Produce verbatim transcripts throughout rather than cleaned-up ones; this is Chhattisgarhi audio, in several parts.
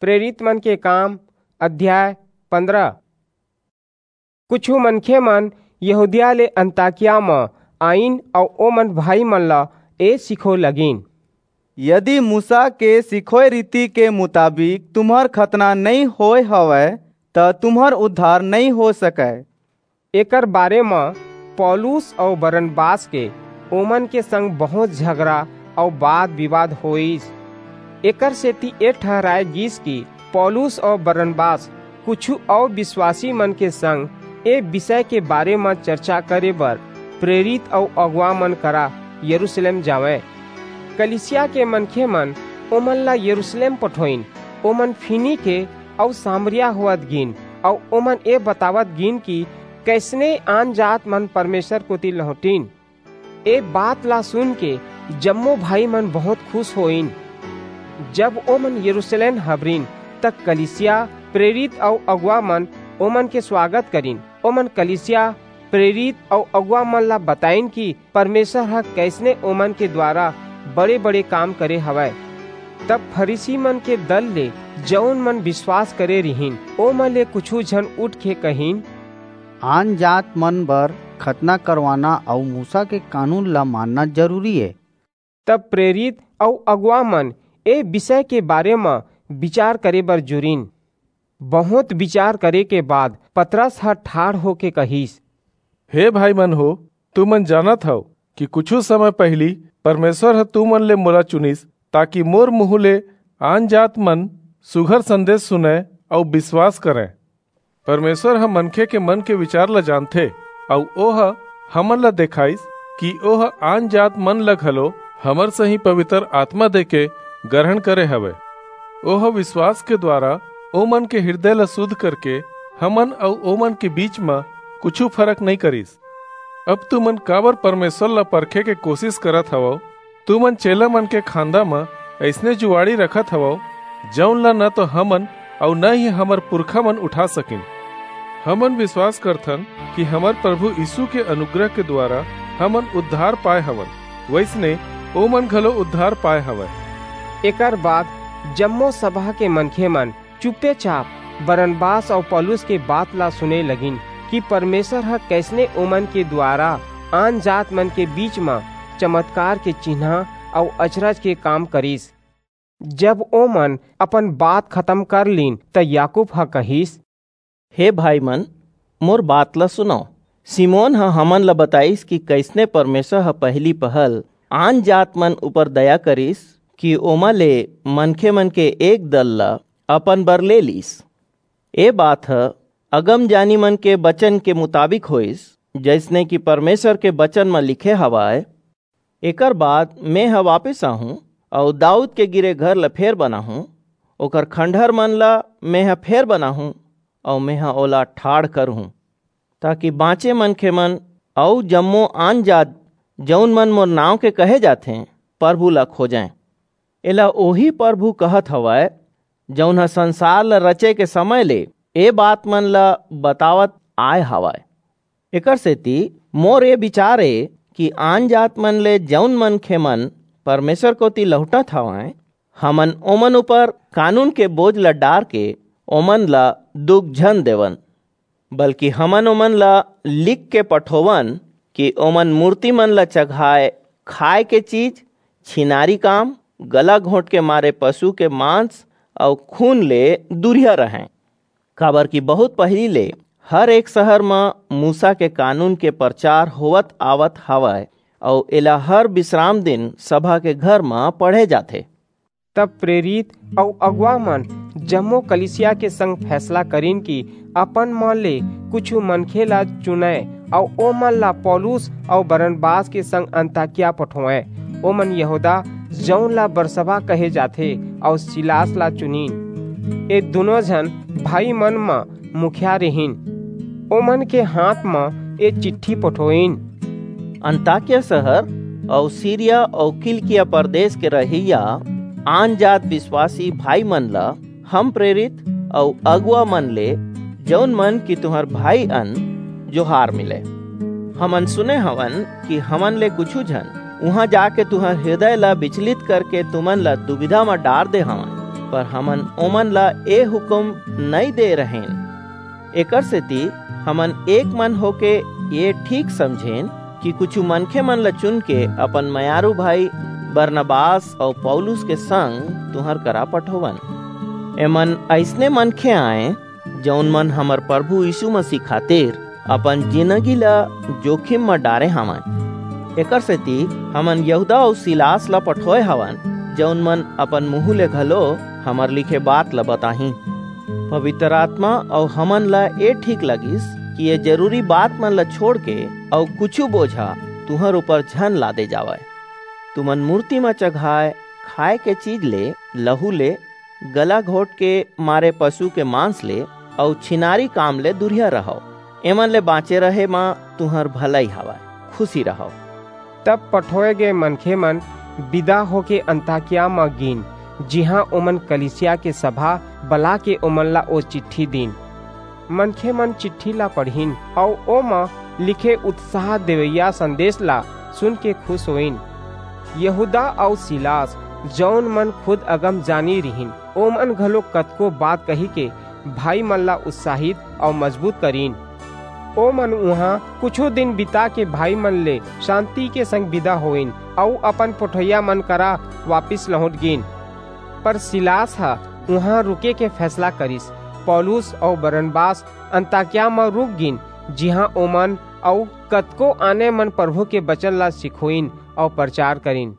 प्रेरित मन के काम, अध्याय पंद्रह। कुछू मनखे मन यहूदिया ले अंताकिया म आइन अऊ ओमन भाई मन ला ए सिखोय लगिन, "यदि मूसा के सिखोय रीति के मुताबिक तुम्हर खतना नइं होय हवय, त तुम्हर उद्धार नइं हो सकय।" एकर बारे म पौलुस अऊ बरनबास के ओमन के संग बहुंत झगरा अऊ बात-बिवाद होईस। एकर सेति ए ठहराय गीस कि पौलुस अऊ बरनबास कुछू अऊ बिसवासी मन के संग ए बिसय के बारे म चरचा करे बर प्रेरित अऊ अगुवा मन करा यरूसलेम जावंय। कलीसिया के मनखे मन ओमन ला यरूसलेम पठोईन। ओमन फीनीके अऊ सामरिया होवत गीन अऊ ओमन ए बतावत गीन कि कइसने आनजात मन परमेसर कोति लहुंटिन। ए बात ला सुनके जम्मो भाई मन बहुंत खुस होईन। जब ओमन यरूसलेम हबरिन, त कलीसिया, प्रेरित अऊ अगुवा मन ओमन के सुवागत करिन। ओमन कलीसिया, प्रेरित अऊ अगुवा मन ला बताईन कि परमेसर ह कइसने ओमन के दुवारा बड़े-बड़े काम करे हवय। तब फरीसी मन के दल ले जऊन मन बिसवास करे रिहिन, ओमन ले कुछू झन उठके कहिन, "आनजात मन बर खतना करवाना अऊ मूसा के कानून ला मानना जरूरी ए।" तब प्रेरित अऊ अगुवा मन ए बिसय के बारे म बिचार करे बर जुरिन। बहुंत बिचार करे के बाद पतरस ह ठाढ़ होके कहिस, "हे भाई मन हो, तुमन जानत हव कि कुछू समय पहिली परमेसर ह तुमन ले मोला चुनिस, ताकि मोर मुहूं ले आनजात मन सुघर संदेस सुनंय अऊ बिसवास करंय। परमेसर ह मनखे के मन के बिचार ला जानथे, अऊ ओह हमन ला देखाईस कि ओह आनजात मन ला घलो हमर सहीं पबितर आतमा देके गरहन करे हवय। ओह बिसवास के दुवारा ओमन के हिरदय ला सुध करके हमन अऊ ओमन के बीच म कुछू फरक नइं करिस। अब तुमन काबर परमेसर ला परखे के कोसिस करत हवव? तुमन चेला मन के खांदा म अइसने जुवाड़ी रखत हवव, जऊन ला न तो हमन अऊ न ही हमर पुरखा मन उठा सकिन। हमन बिसवास करथन कि हमर परभू यीसू के अनुग्रह के दुवारा हमन उद्धार पाय हवन, वइसने ओमन घलो उद्धार पाय हवंय।" एकर बाद जम्मो सभा के मनखे मन चुपेचाप बरनबास अऊ पौलुस के बात ला सुने लगिन कि परमेसर ह कइसने ओमन के दुवारा आनजात मन के बीच म चमतकार के चिन्हां अऊ अचरज के काम करिस। जब ओमन अपन बात खतम कर लीन, त याकूब ह कहिस, "हे भाई मन, मोर बात ला सुनव। सिमोन ह हमन ला बताईस कि कइसने परमेसर ह पहिली पहल आनजात मन ऊपर दया करिस कि ओमा ले मनखे मन के एक दल ला अपन बर ले लीस। ए बात ह अगमजानी मन के बचन के मुताबिक होईस, जइसने कि परमेसर के बचन म लिखे हवय, 'एकर बाद मेंह वापिस आहूं अऊ दाऊद के गिरे घर ला फेर बनाहूं, ओकर खंडहर मन ला मेंह फेर बनाहूं अऊ मेंह ओला ठाढ़ करहूं, ताकि बांचे मनखे मन अऊ जम्मो आनजात, जऊन मन मोर नांव के कहे जाथें, परभू ला खोजंय।' एला ओही परभू कहत हवय, जऊन ह संसार ला रचे के समय ले ए बात मन ला बतावत आय हवय। एकरसेति मोर ए बिचार ए कि आनजात मन ले जऊन मनखे मन परमेसर कोति लहुंटत हवंय, हमन ओमन ऊपर कानून के बोझ ला डारके ओमन ला दुख झन देवन, बल्कि हमन ओमन ला लिख के पठोवन कि ओमन मूरती मन ला चघाय खाय के चीज, छिनारी काम, गला घोंट के मारे पसु के मांस अऊ खून ले दूरिहा रहंय। काबरकि बहुंत पहिली ले हर एक सहर म मूसा के कानून के परचार होवत आवत हवय, अऊ एला हर बिसराम दिन सभा के घर म पढ़े जाथे। तब प्रेरित अऊ अगुवा मन जम्मो कलीसिया के संग फैसला करिन कि अपन म ले कुछू मनखे ला चुनय अऊ ओमन ला पौलुस अऊ बरनबास के संग अंताकिया पठोवंय। ओमन यहूदा, जऊन ला बरसबा कहे जाथे, अऊ सीलास ला चुनिन। ए दूनों झन भाई मन म मुखिया रिहिन। ओमन के हांथ म ए चिट्ठी पठोईन। अंताकिया सहर अऊ सीरिया अऊ किलकिया परदेस के रहइया आनजात बिसवासी भाई मन ला हम प्रेरित अऊ अगुवा मन ले, जऊन मन कि तुम्हर भाई अन, जोहार मिलय। हमन सुने हवन कि हमन ले कुछू झन उहां जाके तुम्हर हिरदय ला बिचलित करके तुमन ला दुबिधा म डार दे हवंय। पर हमन ओमन ला ए हुकम नइं दे रहेन। एकर सेति हमन एक मन होके ये ठीक समझेन कि कुछू मनखे मन ला चुन के अपन मयारू भाई बरनबास अऊ पौलुस के संग तुंहर करा पठोवन। एमन अइसने मनखे आंय, जऊन मन हमर परभू यीसू मसीह खातिर अपन जिनगी ला जोखिम म डारे हवंय। एकरसेति हमन यहूदा अऊ सीलास ला पठोय हवन, जऊन मन अपन मुहूं ले घलो हमर लिखे बात ला बताहीं। पबितर आतमा अऊ हमन ला ए ठीक लगिस कि ए जरूरी बात मन ला छोंड़के अऊ कुछू बोझा तुंहर ऊपर झन लादे जावय। तुमन मूरती म चघाय खाय के चीज ले, लहू ले, गला घोंट के मारे पसु के मांस ले अऊ छिनारी काम ले दूरिहा रहव। एमन ले बांचे रहे म तुंहर भलई हवय। खुसी रहव। तब पठोय गे मनखे मन बिदा होके अंताकिया म गीन, जिहां ओमन कलीसिया के सभा बलाके ओमन ला ओ चिट्ठी दीन। मनखे मन चिट्ठी ला पढ़िन अऊ ओमा लिखे उत्साह देवइया संदेस ला सुनके खुस होईन। यहूदा अऊ सीलास, जऊन मन खुद अगमजानी रिहिन, ओमन घलो कतको बात कहिके भाई मन ला उत्साहित अऊ मजबूत करिन। ओमन उहां कुछू दिन बिताके भाई मन ले सांति के संग बिदा होइन अऊ अपन पठोइया मन करा वापिस लहुंट गीन। पर सीलास ह उहां रुके के फैसला करिस। पौलुस अऊ बरनबास अंताकिया म रुक गीन, जिहां ओमन अऊ कतको आने मन परभू के बचन ला सिखोइन अऊ परचार करिन।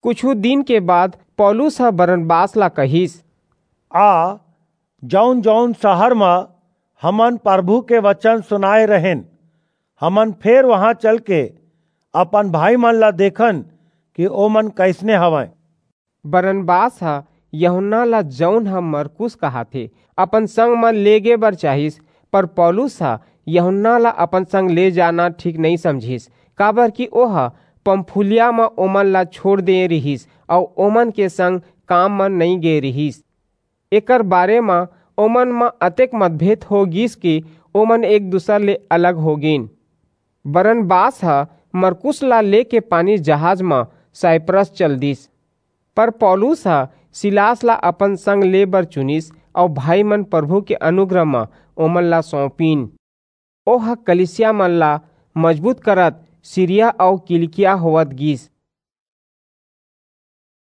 कुछू दिन के बाद पौलुस ह बरनबास ला कहिस, आ, जऊन-जऊन सहर म हमन परभू के बचन सुनाय रहेन, हमन फेर उहां चलके अपन भाई मन ला देखन कि ओमन कइसने हवंय। बरनबास ह यूहन्ना ला, जऊन ह मरकुस कहाथे, अपन संग म लेगे बर चाहिस, पर पौलुस ह यूहन्ना ला अपन संग ले जाना ठीक नइं समझिस, काबरकि ओह पंफूलिया म ओमन ला छोंड़ दे रिहिस अऊ ओमन के संग काम म नइं गे रिहिस। एकर बारे म ओमन म अतेक मतभेद हो गीस कि ओमन एक-दूसर ले अलग हो गीन। बरनबास ह मरकुस ला लेके पानी जहाज म साइप्रस चल दीस। पर पौलुस ह सीलास ला अपन संग ले बर चुनिस अऊ भाई मन परभू के अनुग्रह म ओमन ला सौंपिन। ओह कलीसिया मन ला मजबूत करत सीरिया अऊ किलिकिया होवत गीस।